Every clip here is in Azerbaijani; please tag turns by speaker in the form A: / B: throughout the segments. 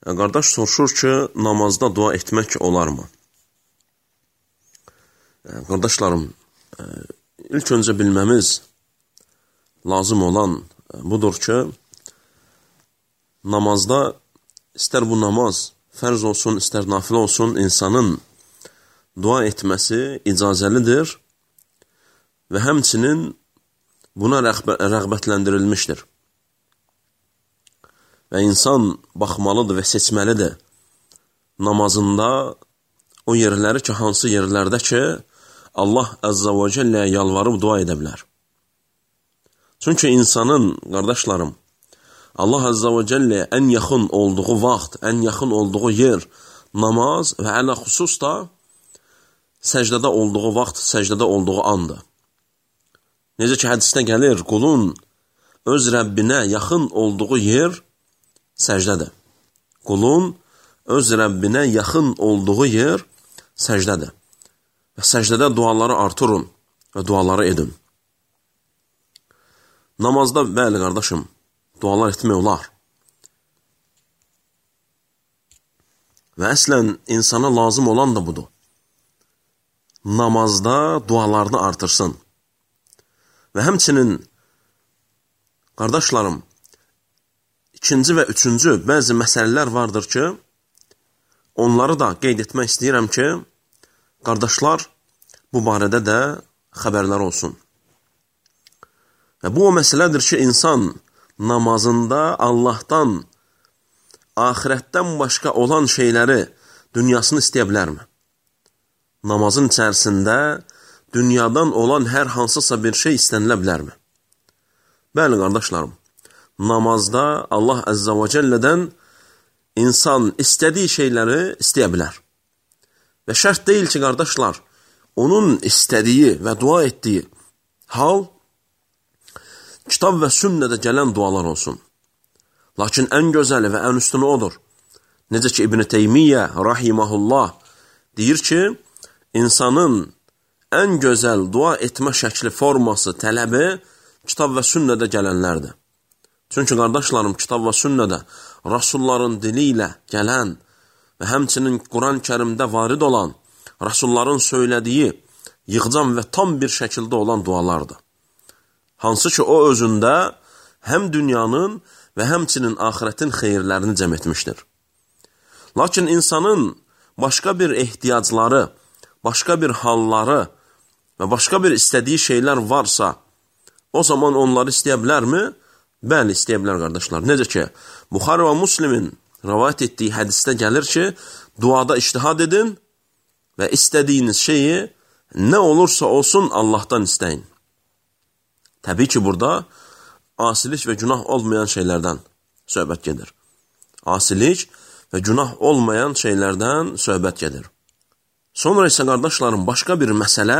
A: Qardaş soruşur ki, namazda dua etmək olarmı? Qardaşlarım, ilk öncə bilməmiz lazım olan budur ki, namazda istər bu namaz fərz olsun, istər nafilə olsun, insanın dua etməsi icazəlidir və həmçinin buna rəğbətləndirilmişdir. Və insan baxmalıdır və seçməlidir namazında o yerləri ki, hansı yerlərdə ki, Allah Əzzə və Cəlləyə yalvarıb dua edə bilər. Çünki insanın, qardaşlarım, Allah Əzzə və Cəlləyə ən yaxın olduğu vaxt, ən yaxın olduğu yer namaz və ələ xüsus da səcdədə olduğu vaxt, səcdədə olduğu andır. Necə ki, hədisdə gəlir, qulun öz Rəbbinə yaxın olduğu yer səcdədir. Qulun öz Rəbbinə yaxın olduğu yer səcdədir. Və səcdədə duaları artırın və duaları edin. Namazda, bəli qardaşım, dualar etmək olar. Və əslən, insana lazım olan da budur. Namazda dualarını artırsın. Və həmçinin, qardaşlarım, İkinci və üçüncü bəzi məsələlər vardır ki, onları da qeyd etmək istəyirəm ki, qardaşlar bu barədə də xəbərlər olsun. Və bu o məsələdir ki, insan namazında Allahdan, axirətdən başqa olan şeyləri, dünyasını istəyə bilərmi? Namazın içərisində dünyadan olan hər hansısa bir şey istənilə bilərmi? Bəli, qardaşlarım. Namazda Allah Əzzə və Cəllədən insan istədiyi şeyləri istəyə bilər. Və şərt deyil ki, qardaşlar, onun istədiyi və dua etdiyi hal kitab və sünnədə gələn dualar olsun. Lakin ən gözəli və ən üstünü odur. Necə ki, İbn Teymiyyə rahiməhullah deyir ki, insanın ən gözəl dua etmə şəkli, forması, tələbi kitab və sünnədə gələnlərdir. Çünki, qardaşlarım, kitab və sünnədə Rasulların dili ilə gələn və həmçinin Quran-Kərimdə varid olan, Rasulların söylədiyi yığcam və tam bir şəkildə olan dualardır. Hansı ki, o özündə həm dünyanın və həmçinin axirətin xeyirlərini cəm etmişdir. Lakin insanın başqa bir ehtiyacları, başqa bir halları və başqa bir istədiyi şeylər varsa, o zaman onları istəyə bilərmi? Bəli, istəyə bilər, qardaşlar. Necə ki, Buxari və Müslimin rəvayət etdiyi hədisdə gəlir ki, duada ictihad edin və istədiyiniz şeyi nə olursa olsun Allahdan istəyin. Təbii ki, burada asilik və günah olmayan şeylərdən söhbət gedir. Asilik və günah olmayan şeylərdən söhbət gedir. Sonra isə, qardaşlarım, başqa bir məsələ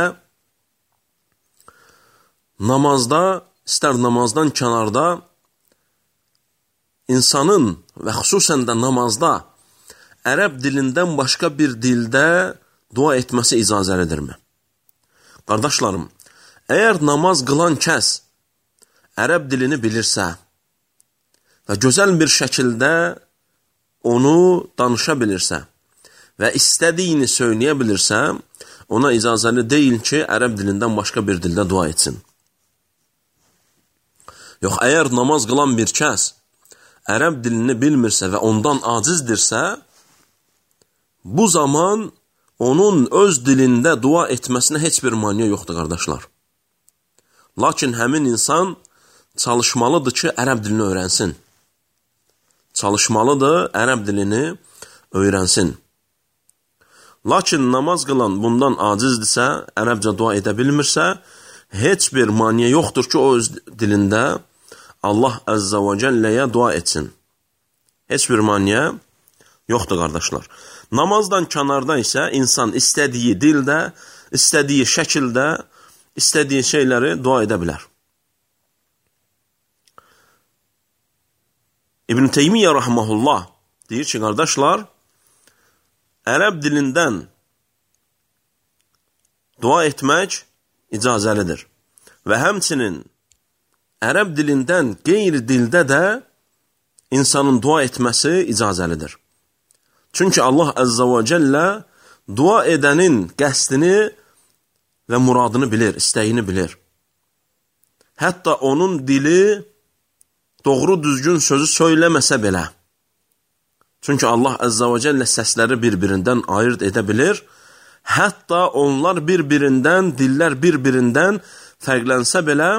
A: namazda, istər namazdan kənarda, insanın və xüsusən də namazda ərəb dilindən başqa bir dildə dua etməsi icazəlidirmi? Qardaşlarım, əgər namaz qılan kəs ərəb dilini bilirsə və gözəl bir şəkildə onu danışa bilirsə və istədiyini söyləyə bilirsə, ona icazəli deyil ki, ərəb dilindən başqa bir dildə dua etsin. Yox, əgər namaz qılan bir kəs ərəb dilini bilmirsə və ondan acizdirsə, bu zaman onun öz dilində dua etməsinə heç bir maniyə yoxdur, qardaşlar. Lakin həmin insan çalışmalıdır ki, ərəb dilini öyrənsin. Çalışmalıdır, ərəb dilini öyrənsin. Lakin namaz qılan bundan acizdirsə, ərəbcə dua edə bilmirsə, heç bir maniyə yoxdur ki, o öz dilində Allah Əzzə və Cəlləyə dua etsin. Heç bir maniyə yoxdur, qardaşlar. Namazdan kənarda isə insan istədiyi dildə, istədiyi şəkildə, istədiyi şeyləri dua edə bilər. İbn Teymiyyə rahməhullah deyir ki, qardaşlar, ərəb dilindən dua etmək icazəlidir. Və həmçinin ərəb dilindən qeyri dildə də insanın dua etməsi icazəlidir. Çünki Allah Əzzə və Cəllə dua edənin qəsdini və muradını bilir, istəyini bilir. Hətta onun dili doğru düzgün sözü söyləməsə belə. Çünki Allah Əzzə və Cəllə səsləri bir-birindən ayırt edə bilir. Hətta onlar bir-birindən, dillər bir-birindən fərqlənsə belə,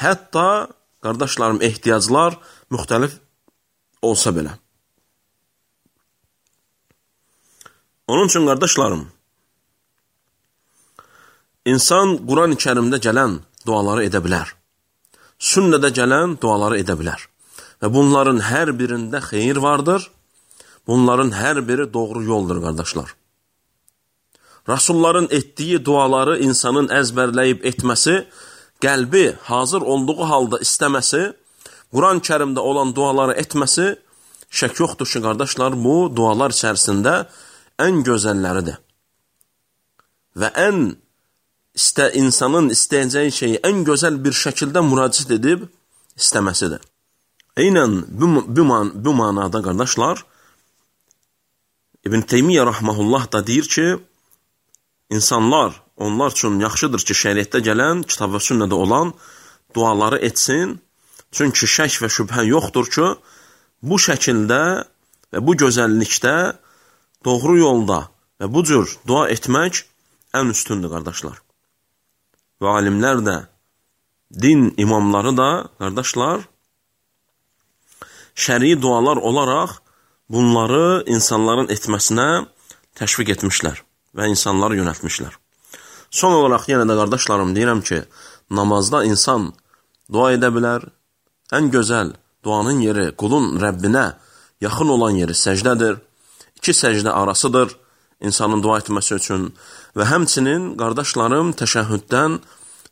A: hətta, qardaşlarım, ehtiyaclar müxtəlif olsa belə. Onun üçün, qardaşlarım, insan Quran-ı Kərimdə gələn duaları edə bilər. Sünnədə gələn duaları edə bilər. Və bunların hər birində xeyir vardır. Bunların hər biri doğru yoldur, qardaşlar. Rasulların etdiyi duaları insanın əzbərləyib etməsi, qəlbi hazır olduğu halda istəməsi, Quran-ı Kərimdə olan duaları etməsi, şək yoxdur ki, qardaşlar, bu dualar içərisində ən gözəlləridir. Və insanın istəyəcəyi şeyi ən gözəl bir şəkildə müraciət edib istəməsidir. Eynən bu manada, qardaşlar, İbn Teymiyyə Rahməhullah da deyir ki, İnsanlar, onlar üçün yaxşıdır ki, şəriətdə gələn, kitab və sünnədə olan duaları etsin. Çünki şək və şübhə yoxdur ki, bu şəkildə və bu gözəllikdə, doğru yolda və bu cür dua etmək ən üstündür, qardaşlar. Və alimlər də, din imamları da, qardaşlar, şəri dualar olaraq bunları insanların etməsinə təşviq etmişlər və insanları yönəltmişlər. Son olaraq yenə də qardaşlarım deyirəm ki, namazda insan dua edə bilər. Ən gözəl duanın yeri qulun Rəbbinə yaxın olan yeri səcdədir. İki səcdə arasıdır insanın dua etməsi üçün və həmçinin qardaşlarım təşəhhüddən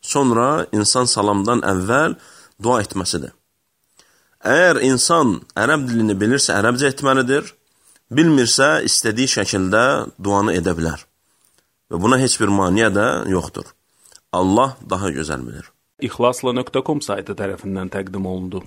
A: sonra insan salamdan əvvəl dua etməsidir. Əgər insan ərəb dilini bilirsə ərəbcə etməlidir, bilmirsə istədiyi şəkildə duanı edə bilər. Və buna heç bir maniyə də yoxdur. Allah daha gözəl bilir.
B: İxlasla.com saytı tərəfindən təqdim olundu.